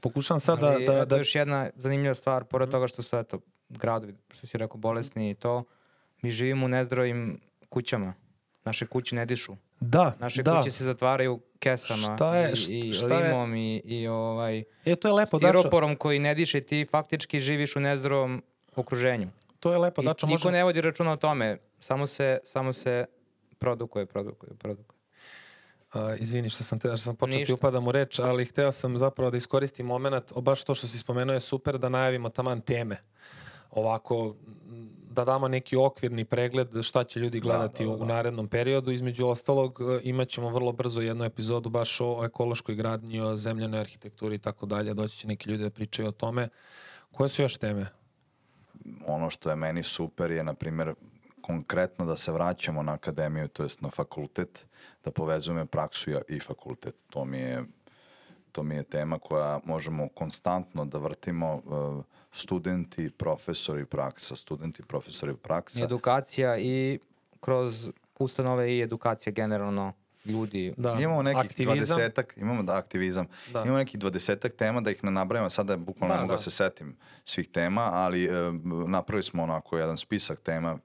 pokušavam sad da... To je još jedna zanimljiva stvar, pored toga što su gradovi, što si rekao, bolesni i to, mi živimo u nezdravim kućama. Naše kuće ne dišu. Naše kuće se zatvaraju kesama i limom i to je lepo, stiroporom koji ne diše, ti faktički živiš u nezdravom okruženju. To je lepo, Dačo. Niko ne vodi računa o tome, samo se produkuje. Izvini što sam počeo ti upadam u reč, ali hteo sam zapravo da iskoristim moment, baš to što si spomenuo je super, da najavimo taman teme. Ovako, da damo neki okvirni pregled šta će ljudi gledati u narednom periodu. Između ostalog, imat ćemo vrlo brzo jednu epizodu baš o ekološkoj gradnji, o zemljanoj arhitekturi i tako dalje. Doći će neki ljudi da pričaju o tome. Koje su još teme? Ono što je meni super je, na primjer, konkretno da se vraćamo na akademiju, to jest na fakultet, da povezujemo praksu i fakultet. To mi je tema koja možemo konstantno da vrtimo, studenti, profesori, praksa. Edukacija i kroz ustanove i edukacija generalno ljudi. Imamo nekih 20-ak, aktivizam. Imamo nekih 20-ak tema, da ih ne nabrajamo, sada bukvalno ne mogu da se setim svih tema, ali napravili smo onako jedan spisak tema,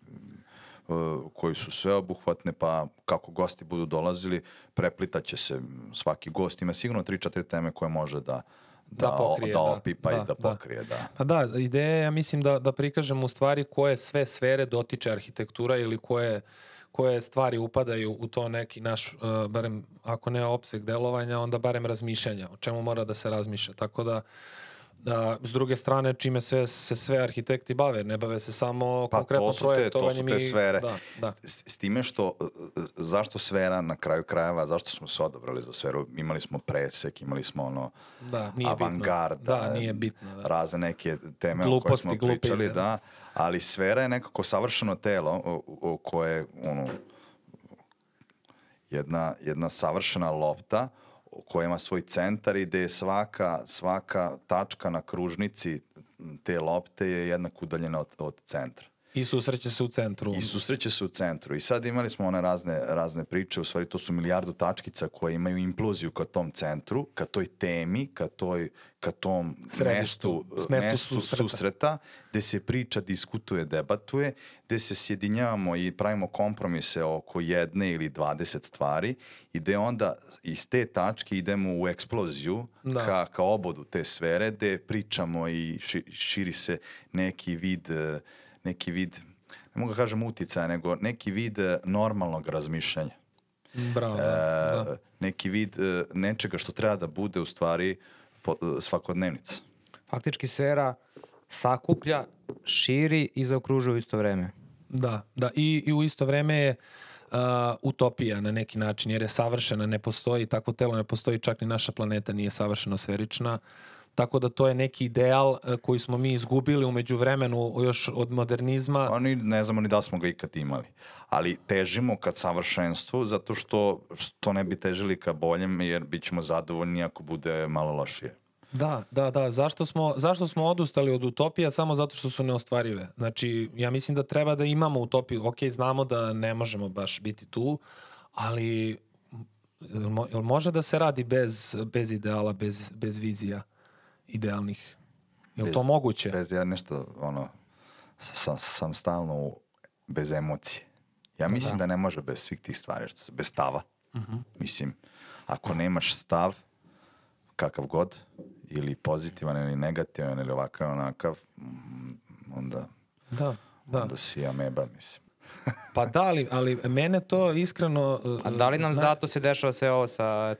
koji su sveobuhvatne, pa kako gosti budu dolazili, preplitaće se. Svaki gost ima sigurno 3-4 teme koje može da opipa i da pokrije. Da. Pa da, ideja je, ja mislim, da prikažemo u stvari koje sve sfere dotiče arhitektura ili koje stvari upadaju u to neki naš, barem ako ne opseg delovanja, onda barem razmišljanja, o čemu mora da se razmišlja. Tako da, s druge strane, čime se sve arhitekti bave, ne bave se samo konkretno projektovanjem. To su te sfere. Da. S time što, zašto sfera na kraju krajeva, zašto smo se odabrali za sferu? Imali smo presek, imali smo avangarda, nije bitno, razne neke teme o koje smo pričali, ali sfera je nekako savršeno telo koje jedna savršena lopta koja ima svoj centar i gde je svaka tačka na kružnici te lopte je jednako udaljena od centra. I susreće se u centru. I sad imali smo one razne priče, u stvari to su milijardu tačkica koje imaju imploziju ka tom centru, ka toj temi, ka tom mestu susreta, gde se priča, diskutuje, debatuje, gde se sjedinjavamo i pravimo kompromise oko jedne ili 20 stvari i gde onda iz te tačke idemo u eksploziju ka obodu te sfere, gde pričamo i širi se neki vid, ne mogu kažem uticaja, nego neki vid normalnog razmišljanja. Bravo, neki vid nečega što treba da bude u stvari svakodnevnica. Faktički sfera sakuplja, širi i zaokružuje u isto vreme. Da. I u isto vreme je utopija na neki način, jer je savršena, ne postoji takvo telo, ne postoji, čak ni naša planeta nije savršeno sferična. Tako da to je neki ideal koji smo mi izgubili u međuvremenu još od modernizma. Ne znamo ni da smo ga ikad imali. Ali težimo ka savršenstvu zato što ne bi težili ka boljem jer bit ćemo zadovoljni ako bude malo lošije. Da. Zašto smo odustali od utopija? Samo zato što su neostvarive. Znači, ja mislim da treba da imamo utopiju. Ok, znamo da ne možemo baš biti tu, ali jel može da se radi bez ideala, bez vizija idealnih? Je li to moguće? Ja nešto, sam stalno bez emocije. Ja mislim da ne može bez svih tih stvari, bez stava. Mislim, ako nemaš stav, kakav god, ili pozitivan ili negativan ili ovakav onakav, onda si ameba, mislim. Pa da, ali mene to iskreno... A da li nam zato se dešava sve ovo sa,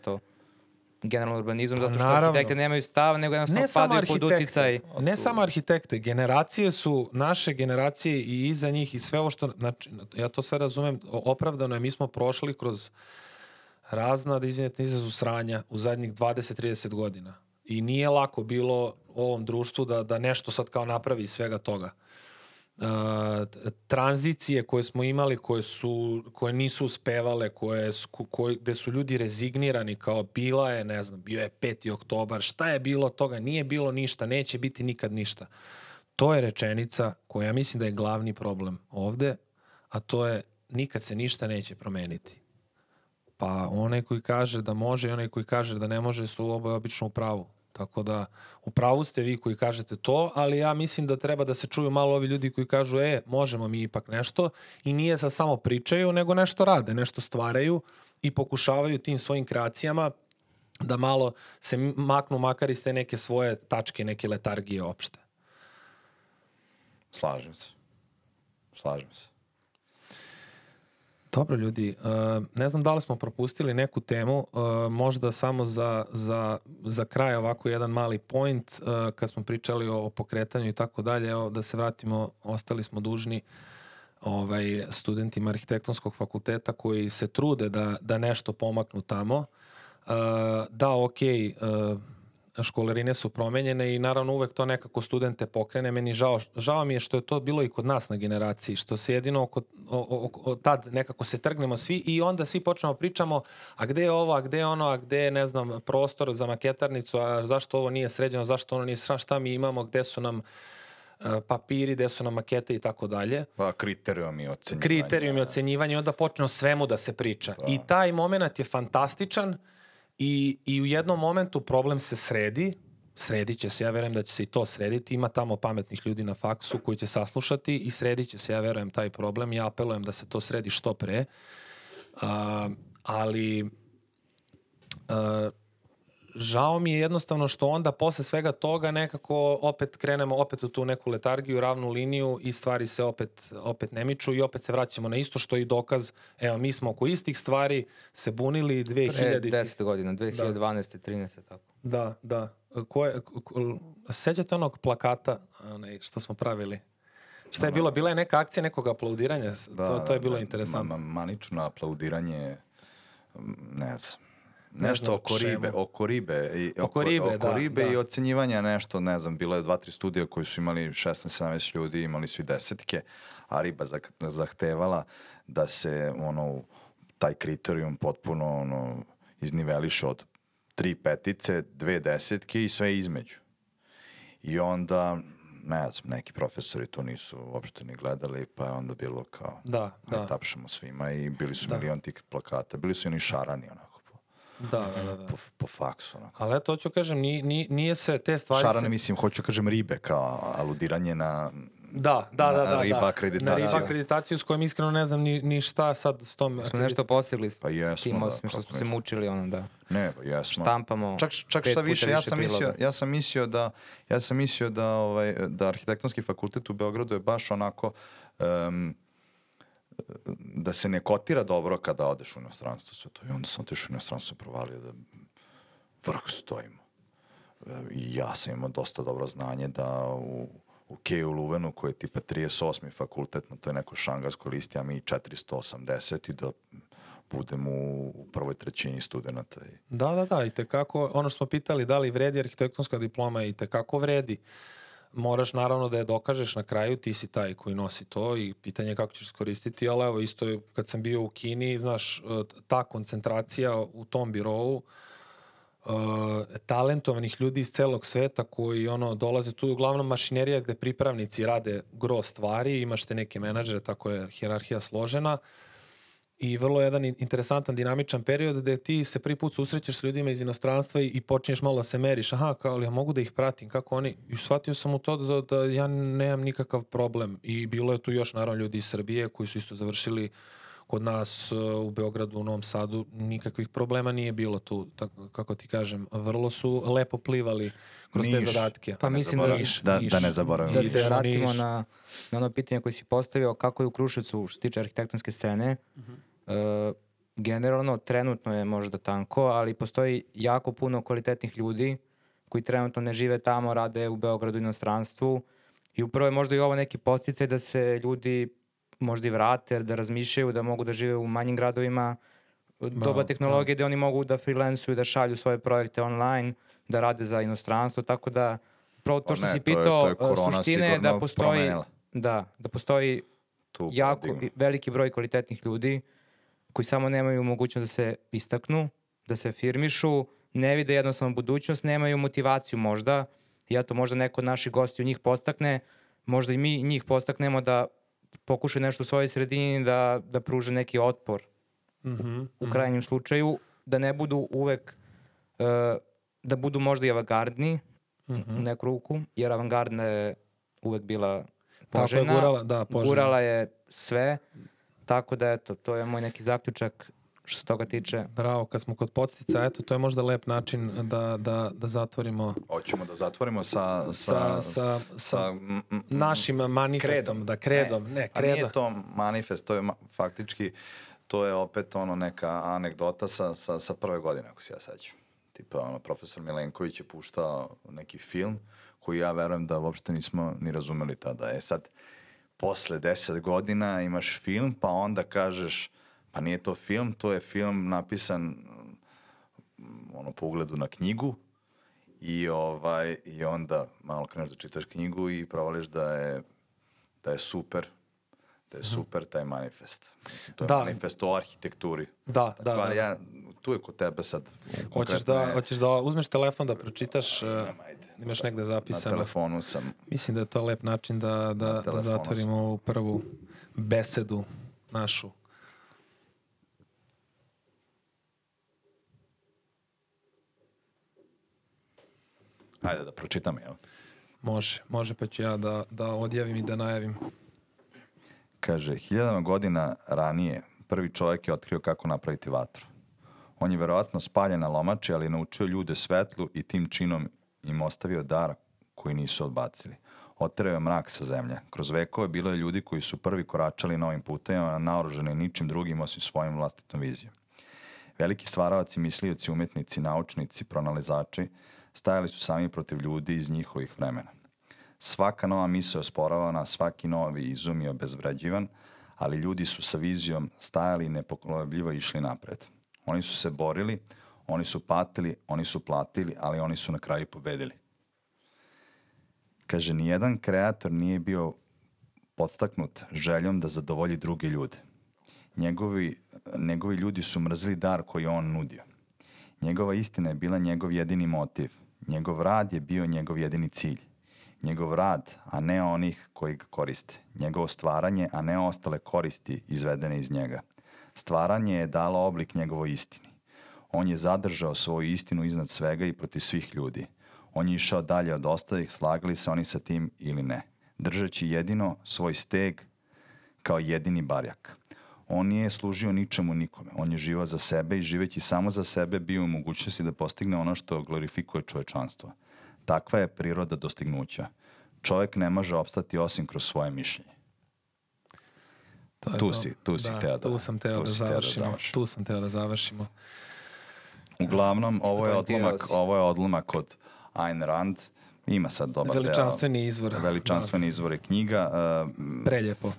generalno urbanizam, zato što arhitekte nemaju stav, nego jednostavno padaju pod uticaj. Ne samo arhitekte, generacije su, naše generacije i iza njih i sve ovo što, znači, ja to sve razumem, opravdano je, mi smo prošli kroz razna, da izvinete, izrazu sranja u zadnjih 20-30 godina. I nije lako bilo ovom društvu da nešto sad kao napravi iz svega toga. Tranzicije koje smo imali, koje nisu uspevale, gde su ljudi rezignirani, kao bila je, ne znam, bio je 5. oktobar, šta je bilo toga, nije bilo ništa, neće biti nikad ništa. To je rečenica koja mislim da je glavni problem ovde, a to je nikad se ništa neće promeniti. Pa onaj koji kaže da može i onaj koji kaže da ne može su oboje obično u pravu. Tako da, u pravu ste vi koji kažete to, ali ja mislim da treba da se čuju malo ovi ljudi koji kažu, možemo mi ipak nešto, i nije sa samo pričaju, nego nešto rade, nešto stvaraju i pokušavaju tim svojim kreacijama da malo se maknu makar iz te neke svoje tačke, neke letargije opšte. Slažem se. Dobro, ljudi, ne znam da li smo propustili neku temu, možda samo za kraj ovako jedan mali point, kad smo pričali o pokretanju i tako dalje, evo da se vratimo, ostali smo dužni studentima arhitektonskog fakulteta koji se trude da nešto pomaknu tamo. Da, okej, školarine su promenjene i naravno uvek to nekako studente pokrene. Meni žao mi je što je to bilo i kod nas na generaciji, što se jedino tad nekako se trgnemo svi i onda svi počnemo pričamo, a gde je ovo, a gde je ono, a gde je, ne znam, prostor za maketarnicu, a zašto ovo nije sređeno, zašto ono nije sređeno, šta mi imamo, gde su nam papiri, gde su nam makete i tako dalje. Pa kriterijumi ocenjivanja, onda počne o svemu da se priča. I taj moment je fantastičan. I u jednom momentu problem se sredi, sredit će se, ja verujem da će se i to srediti, ima tamo pametnih ljudi na faksu koji će saslušati i sredit će se, ja verujem, taj problem, ja apelujem da se to sredi što pre, ali žao mi je jednostavno što onda posle svega toga nekako opet krenemo opet u tu neku letargiju, ravnu liniju i stvari se opet ne miču i opet se vraćamo na isto što je i dokaz. Evo, mi smo oko istih stvari se bunili 2000... 10 godina, 2012. 13. tako. Da. Sećate onog plakata što smo pravili? Šta je bilo? Bila je neka akcija nekog aplaudiranja? To je bilo interesantno. Manično aplaudiranje, ne znam. Nešto oko ribe i ocenjivanja nešto, ne znam, bilo je 2-3 studija koji su imali 16-17 ljudi, imali svi desetke, a riba zahtevala da se taj kriterijum potpuno izniveliše od 3 petice, 2 desetke i sve između. I onda, ne znam, neki profesori to nisu uopšte ni gledali, pa je onda bilo kao, ne tapšamo svima i bili su milion tih plakata, bili su i oni šarani, onako. Da. Po faksu. Ali eto, hoću kažem, nije se te stvari... Šarane, mislim, hoću kažem ribe, kao aludiranje na... Da. Riba akreditaciju. Na riba akreditaciju s kojom iskreno ne znam ni šta sad s tom... Smo nešto postigli s pa jesmo, tim, osim što smo se mučili, Ne, pa jesmo. Štampamo čak šta više, ja sam mislio da arhitektonski fakultet u Beogradu je baš onako... da se ne kotira dobro kada odeš u inostranstvo sve to. I onda sam otišao u inostranstvo i provalio da vrh stojimo. I ja sam imao dosta dobro znanje da u KU Luvenu, koji je tipa 38. fakultet, na toj nekoj šangarskoj listi, a mi 480 i da budemo u prvoj trećini studenta. Da, i tekako, ono što smo pitali, da li vredi arhitektonska diploma, i tekako vredi. Moraš naravno da je dokažeš na kraju, ti si taj koji nosi to i pitanje je kako ćeš iskoristiti, ali evo isto je kad sam bio u Kini, znaš, ta koncentracija u tom birovu, talentovanih ljudi iz celog sveta koji dolaze tu, uglavnom mašinerija gde pripravnici rade gro stvari, imaš te neke menadžere, tako je hijerarhija složena i vrlo jedan interesantan dinamičan period gde ti se prvi put susrećeš s ljudima iz inostranstva i počinješ malo da se meriš, ali ja mogu da ih pratim, kako oni, i shvatio sam u to da ja nemam nikakav problem i bilo je tu još naravno ljudi iz Srbije koji su isto završili kod nas u Beogradu, u Novom Sadu, nikakvih problema nije bilo tu, tako, kako ti kažem, vrlo su lepo plivali kroz te zadatke. Pa mislim da ne zaboravim. Da se vratimo na ono pitanje koje si postavio, kako je u Kruševcu što se tiče arhitektonske scene. Generalno, trenutno je možda tanko, ali postoji jako puno kvalitetnih ljudi koji trenutno ne žive tamo, rade u Beogradu i inostranstvu i upravo je možda i ovo neki podsticaj da se ljudi možda i vrate, da razmišljaju da mogu da žive u manjim gradovima, doba tehnologije gde oni mogu da freelansuju, da šalju svoje projekte online, da rade za inostranstvo, tako da pravo to što si pitao, suštine je da postoji da postoji jako veliki broj kvalitetnih ljudi koji samo nemaju mogućnost da se istaknu, da se afirmišu, ne vide jednostavno budućnost, nemaju motivaciju možda, i eto možda neko od naših gostiju njih podstakne, možda i mi njih podstaknemo da pokušaju nešto u svojoj sredini, da pruže neki otpor u krajnjem slučaju, da ne budu uvek, da budu možda i avangardni u neku ruku, jer avangardna je uvek bila poželjna, gurala je sve, tako da eto, to je moj neki zaključak što se toga tiče. Bravo, kad smo kod podstica, eto, to je možda lep način da zatvorimo. Hoćemo da zatvorimo sa našim manifestom. Kredom. A nije to manifest, to je faktički, to je opet neka anegdota sa prve godine, ako se ja sećam. Tipa, profesor Milenković je puštao neki film koji ja verujem da uopšte nismo ni razumeli tada. Sad, posle 10 godina imaš film, pa onda kažeš, pa nije to film, to je film napisan po ugledu na knjigu i onda malo kreneš da čitaš knjigu i provališ da je super, taj manifest. Mislim, to je manifest o arhitekturi. Da. Tu je kod tebe sad. Hoćeš da uzmeš telefon da pročitaš, imaš negde zapisano. Na telefonu sam. Mislim da je to lep način da zatvorimo ovu prvu besedu našu. Ajde da pročitam, jel? Može pa ću ja da odjavim i da najavim. Kaže, 1000 godina ranije prvi čovjek je otkrio kako napraviti vatru. On je verovatno spaljen na lomači, ali je naučio ljude svetlu i tim činom im ostavio dar koji nisu odbacili. Oterao je mrak sa zemlje. Kroz vekove bilo je ljudi koji su prvi koračali novim putevima, naoružani ničim drugim osim svojim vlastitom vizijom. Veliki stvaravaci, mislioci, umjetnici, naučnici, pronalazači stajali su sami protiv ljudi iz njihovih vremena. Svaka nova misao je osporavana, svaki novi izum je obezvređivan, ali ljudi su sa vizijom stajali i nepokolebljivo išli napred. Oni su se borili, oni su patili, oni su platili, ali oni su na kraju pobedili. Kaže, nijedan kreator nije bio podstaknut željom da zadovolji druge ljude. Njegovi ljudi su mrzili dar koji je on nudio. Njegova istina je bila njegov jedini motiv. Njegov rad je bio njegov jedini cilj. Njegov rad, a ne onih koji ga koriste. Njegovo stvaranje, a ne ostale koristi izvedene iz njega. Stvaranje je dalo oblik njegovoj istini. On je zadržao svoju istinu iznad svega i protiv svih ljudi. On je išao dalje od ostalih, slagali se oni sa tim ili ne, držeći jedino svoj steg kao jedini barjak. On nije služio ničemu nikome. On je živao za sebe i živeći samo za sebe bio u mogućnosti da postigne ono što glorifikuje čovečanstvo. Takva je priroda dostignuća. Čovjek ne može opstati osim kroz svoje mišljenje. Tu sam teo da završimo. Uglavnom, ovo je odlomak od Ayn Rand. Ima sad dobar Veličanstveni izvor je knjiga.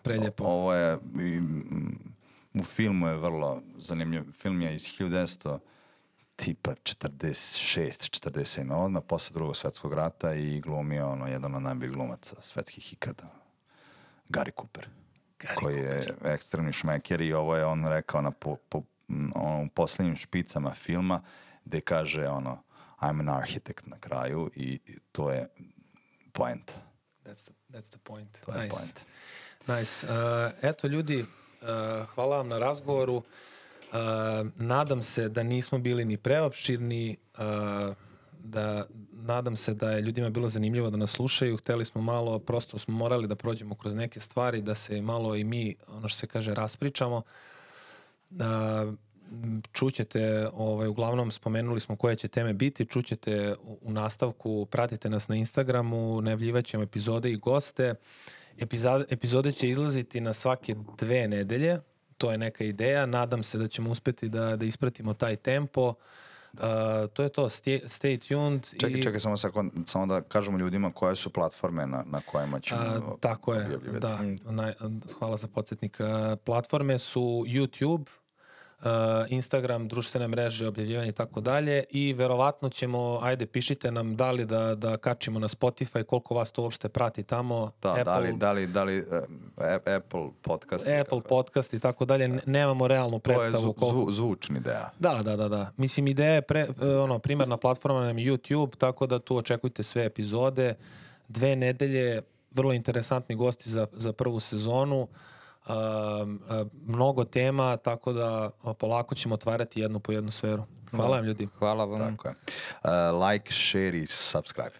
Preljepo. Ovo je, u filmu je vrlo zanimljiv. Film je iz 1946, 47. Odmah posle Drugog svjetskog rata i glumio jedan od najboljih glumaca svetskih ikada. Gary Cooper. Koji je ekstremni šmeker i ovo je on rekao u posljednjim špicama filma gde kaže I'm an architect na kraju i to je point. That's the point. To je point. Nice. Eto ljudi, hvala vam na razgovoru. Nadam se da nismo bili ni preopširni, nadam se da je ljudima bilo zanimljivo da nas slušaju. Hteli smo malo, prosto smo morali da prođemo kroz neke stvari, da se malo i mi, ono što se kaže, raspričamo. Čućete, uglavnom spomenuli smo koje će teme biti, čućete u nastavku, pratite nas na Instagramu, najavljivat ćemo epizode i goste. Epizode će izlaziti na svake 2 nedelje, to je neka ideja, nadam se da ćemo uspeti da ispratimo taj tempo. To je to, stay tuned. Čekaj, samo da kažemo ljudima koje su platforme na kojima ćemo tako je, hvala za podsjetnik. Platforme su YouTube, Instagram, društvene mreže, objavljivanje i tako dalje i verovatno ćemo, pišite nam da li da kačimo na Spotify, koliko vas to uopšte prati tamo. Da li Apple podcast. Apple podcast i tako dalje, nemamo realnu predstavu. To je zvučni ideja. Da. Mislim, ideja je primarna platforma nam YouTube, tako da tu očekujte sve epizode. 2 nedelje, vrlo interesantni gosti za prvu sezonu. Mnogo tema, tako da polako ćemo otvarati jednu po jednu sferu. Hvala vam ljudi. Hvala vam. Tako je. Like, share i subscribe.